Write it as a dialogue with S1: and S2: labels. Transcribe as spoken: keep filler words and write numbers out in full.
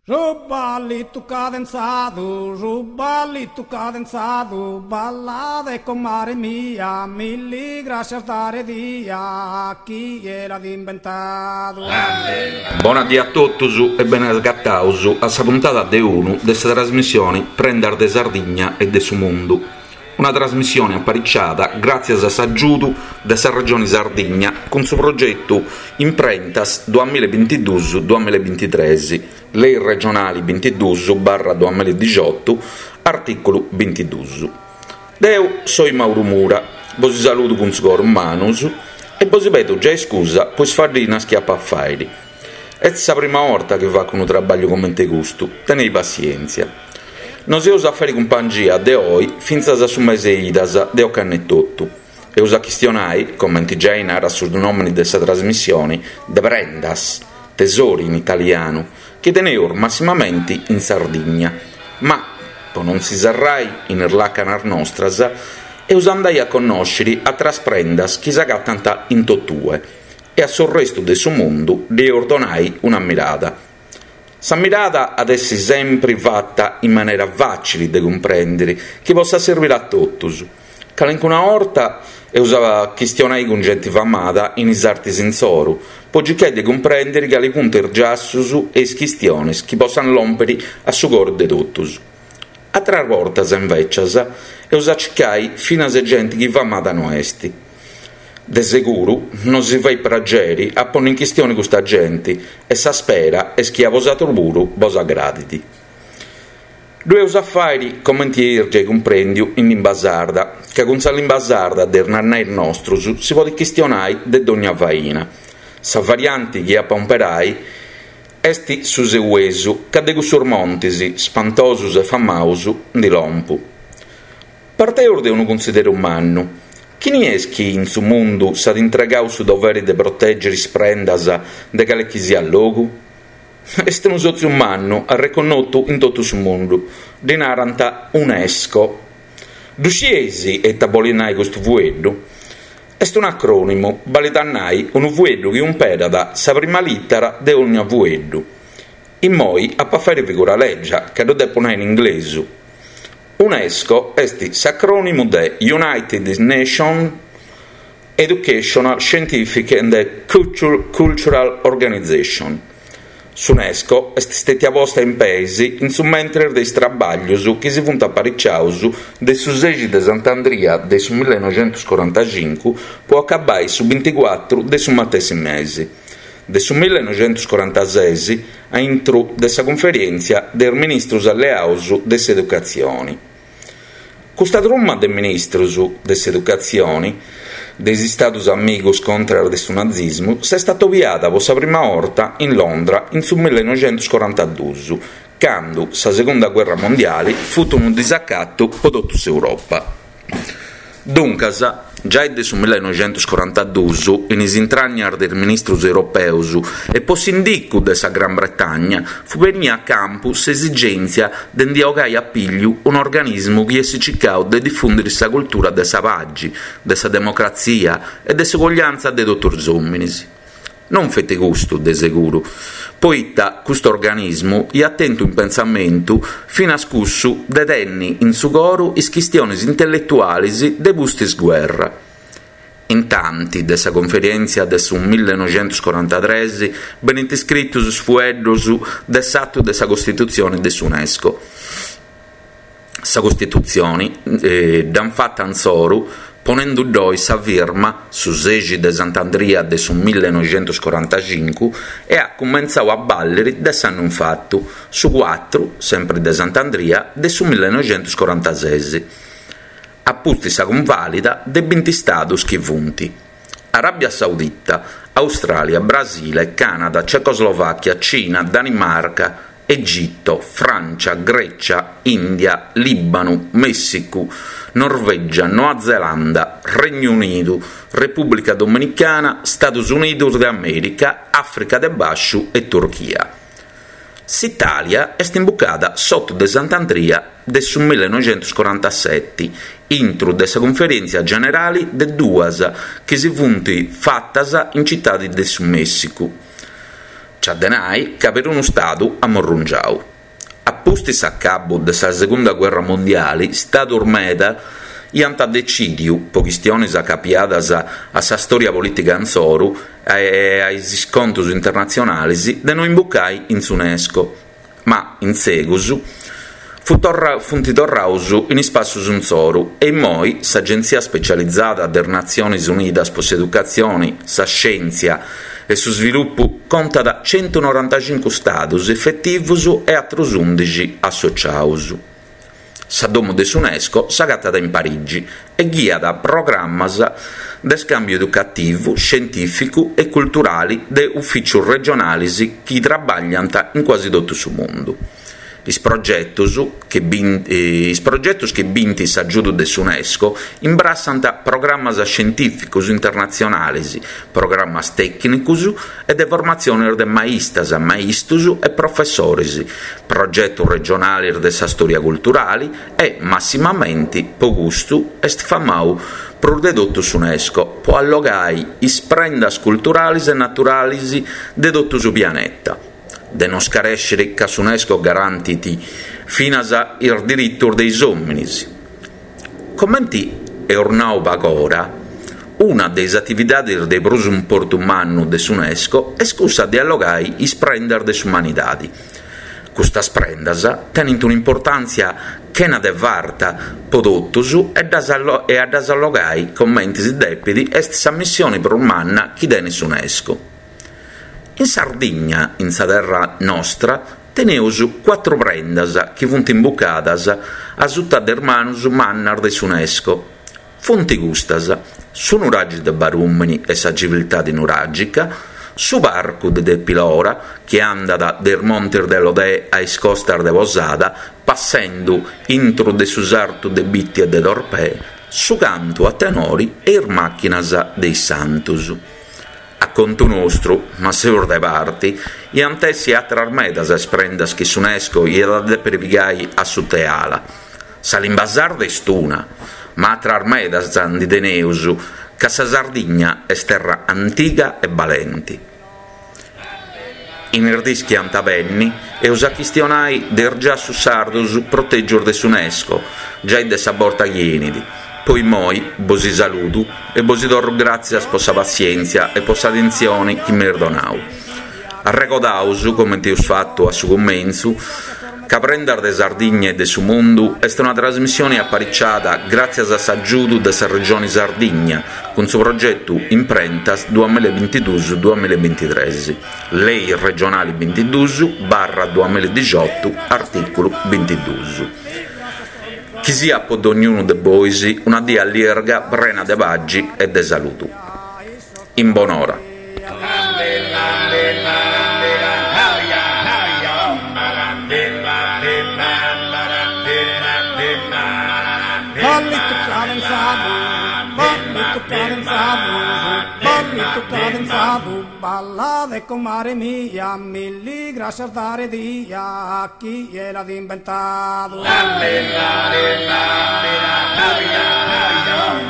S1: Su ballitu cadenzadu, su ballitu cadenzadu, ballade comare mia, milli grascias dare dia, chie l'at imbentadu.
S2: Bona dì a totus e bene agataus a sa puntada de unu de sa trasmissioni Prendas de Sardigna e de su Mundu. Una trasmissioni apariciada gràtzias a s'agiudu de sa Regioni Sardigna cun su progetu Imprentas duamilla e bintiduus duamilla e bintitres, Lei regionali bintiduus barra duamilla e dixiotu, artìculu bintiduus. Deu soi Mauru Mura, bosi saludu cun su coru in manus e bosi pedu giai scusa po is faddinas chi apu a fàiri. Est sa prima 'orta chi facu unu trabagliu comente custu, tenei passièntzia. Nos eus a fàiri cumpangia de oi fintzas a su mese 'e Idas de ocannu etotu. Eus a chistionai, comenti giai narat su nòmini de sa trasmissioni, de prendas, tesori in italianu, chi teneus massimamenti in Sardigna. Ma, po non si serrai in is làcanas nostras, eus a andai a connòsciri atras prendas chi s'agatant in totue e a s'orrestu de su mundu ddi eus donai una mirada. Sa mirada at essi sempri fata in manera fàcili de cumprèndiri, chi possat serbiri a totus. Calincuna 'orta eus a chistionai cun genti famada in is artis insoru, po circai de cumprèndiri cali funt is giassus e is chistionis chi possant lòmpiri a su coru de totus. Atras bortas, invècias, eus a circai finas genti chi famada no est. De seguru nosi fait prageri a ponni in chistioni custa genti e sa spera est chi a bosatrus puru bos agradit. Ddu eus a fàiri, comenti eis giai cumprèndiu, in limba sarda, ca cun sa limba sarda de is nannais nostrus si podit chistionai de dogna faina. Sa varianti chi apu a umperai est su seuesu, ca de cussus montis, spantosus e famaus, ndi lompu. Parteus de unu cunsideru mannu, chini est chi in su mundu s'at intregau su doveri de protègiri is prendas de cale chi siat logu? Est unu sòtziu mannu arreconnotu in totu su mundu, ddi narant Unesco. Ddu scieis ita bolit nai custu fueddu? Est un'acrònimu, balit a nai unu fueddu chi umperat sa prima lìtera de ònnia fueddu. Immoi apu a fàiri figura lègia, ca ddu depu nai in inglesu. Unesco est s'acrònimu de United Nations Educational, Scientific and Cultural Organization. S'Unesco est stètia posta in peis in su mentres de is trabàllius chi si funt apariciaus de su sexi de Sant'Andria de su millenoxentuscorantacincu po acabai su binticuatru de su matessi mesi de su millenoxentuscorantases a intru de sa Cunferèntzia de is Ministrus Alleaus de s'Educatzioni. Custa truma de ministrus de s'educatzioni de is Istadus amigus contras de su nazismu s'est atobiada po sa prima 'orta in Londra in su millenoxentuscorantaduus, candu sa Segunda Guerra Mondiali fut unu disacatu po totu s'Europa. Duncas, giai de su millenoxentuscorantaduus, in is intragnas de is ministrus europeus e po s'indicu de sa Gran Bretagna, fut benia a campu s'esigèntzia de ndi 'ogai a pìgliu un'organismu chi essit circau de difùndiri sa cultura de sa pagi, de sa democratzia e de s'uguagliantza de totu is òminis. Non feti custu, de seguru, poita custu organismu iat tentu in pensamentu finas cussu de tenni in su coru is chistionis intelletualis de pustis guerra. Intanti de sa conferèntzia de su millenoxentuscorantatres benint scritus is fueddus de s'atu de sa Costitutzioni de s'Unesco. Sa Costitutzioni dd'ant fata insoru ponendu-ddoi sa firma su sexi de Sant'Andria de su millenoxentuscorantacincu e at cumentzau a bàlliri de s'annu infatu, su cuatru, sempri de Sant'Andria, de su millenoxentuscorantases. A pustis sa cunvàlida de binti istadus chi funt Aràbia Saudita, Austràlia, Brasile, Cànada, Cecoslovàchia, Cina, Danimarca, Egitto, Frància, Grècia, Ìndia, Lìbanu, Mèssicu, Norvègia, Noa Zelanda, Regnu Unidu, Repùblica Dominicana, Stadus Unidus de Amèrica, Àfrica de Bàsciu e Turchia. S'Itàlia est imbucada s'otu de Sant'Andria de su millenoxentuscorantaseti, intru de sa Cunferèntzia Generali de duas chi si funt fatas in Citadi de su Mèssicu. Nc'at de nai ca perunu stadu at murrungiau. A pustis s'acabu de sa Segunda Guerra Mondiale, stadus meda iant decìdiu, po chistionis acapiadas a sa storia politica insoru e a is scontus internatzionalis, de no imbucai in s'UNESCO. Ma, in segus, fu torra, funt torraus in is passus insoru e immoi s'Agenzia Specializzata delle Nazioni Unidas po s'Educazione, sa Scienza e su Sviluppu contat centunorantacincu stadus efetivus e atrus undixi associaus. Sa domu de s'UNESCO s'agatat in Parigi e ghiat programmas de scambiu educativu, scientificu e culturali de ufficios regionales chi trabagliant in quasi tutto su mundu. Is progetos che bin, eh, is progetos chi bint s'agiudu de s'UNESCO imbrassant programmas scientificos internatzionales, programmas tecnicos e de formatzione de maistas, maistos e professores, progetos regionales de sa storia culturale e, massimamente, po custu, est famau prus de totu s'UNESCO, po allogai is prendas culturales e naturales de totu su pianeta. De non scarescere ca s'UNESCO garantit finas is diritos de is òmines. Comenti eus nau pagora, una de is atividades de prus importu mannu de s'UNESCO est cussa de allogai is prendas de s'umanidade. Custas prendas tenent un'importàntzia chena de farta po totus e, ddas allo- e a ddas allogai comente si depet est sa missione prus manna chi tenet s'UNESCO. In Sardigna, in sa terra nostra, teneus quattro prendas chi funt imbucadas a sutta de manus mannas de s'UNESCO. Funt custas: su nuraghe de Barumini e sa civiltà nuragica, su parcu de Tepilora, chi andat dai Montes de Lodè a is costas de Posada, passendo intro de su sartu de Bitti e de Torpè, su cantu a tenori e is macchinas dei Santos. A contu nostru, ma seus de parti, iant essi atras medas is prendas chi s'UNESCO iat a depere pigai a sutta 'e ala. Sa limba sarda est una, ma atras medas ndi teneus, ca sa Sardigna est terra antiga e balente. In is dis chi ant a benni, eus a chistionai de is giassus sardos proteggius de s'UNESCO, giai de sa borta chi enit. Poi moi bosi saludo e bosi torro gràtzias po sa pazienza e po s'attenzione chi m'eis donau. Arregodaus, comente eus fattu a su cumentzu, ca Prendas de Sardigna e de su Mundu est una trasmissione apparicciata gràtzias a s'agiudu de sa Regione Sardigna cun su progetto Imprentas duemilavintidus duemilavintitres, Lei regionale vintidus barra duemiladiciotto, articolo vintidus. Chi sia po ognuno de bois una dia allirga prena de pagi e de saludu. In bonora.
S1: Ballito cadenzado, ballito cadenzado, ballito cadenzado, balla de comare mia, mille gracias dare dia a chi l'ha inventato.
S3: La, la, la, la, la, la, la, la, la.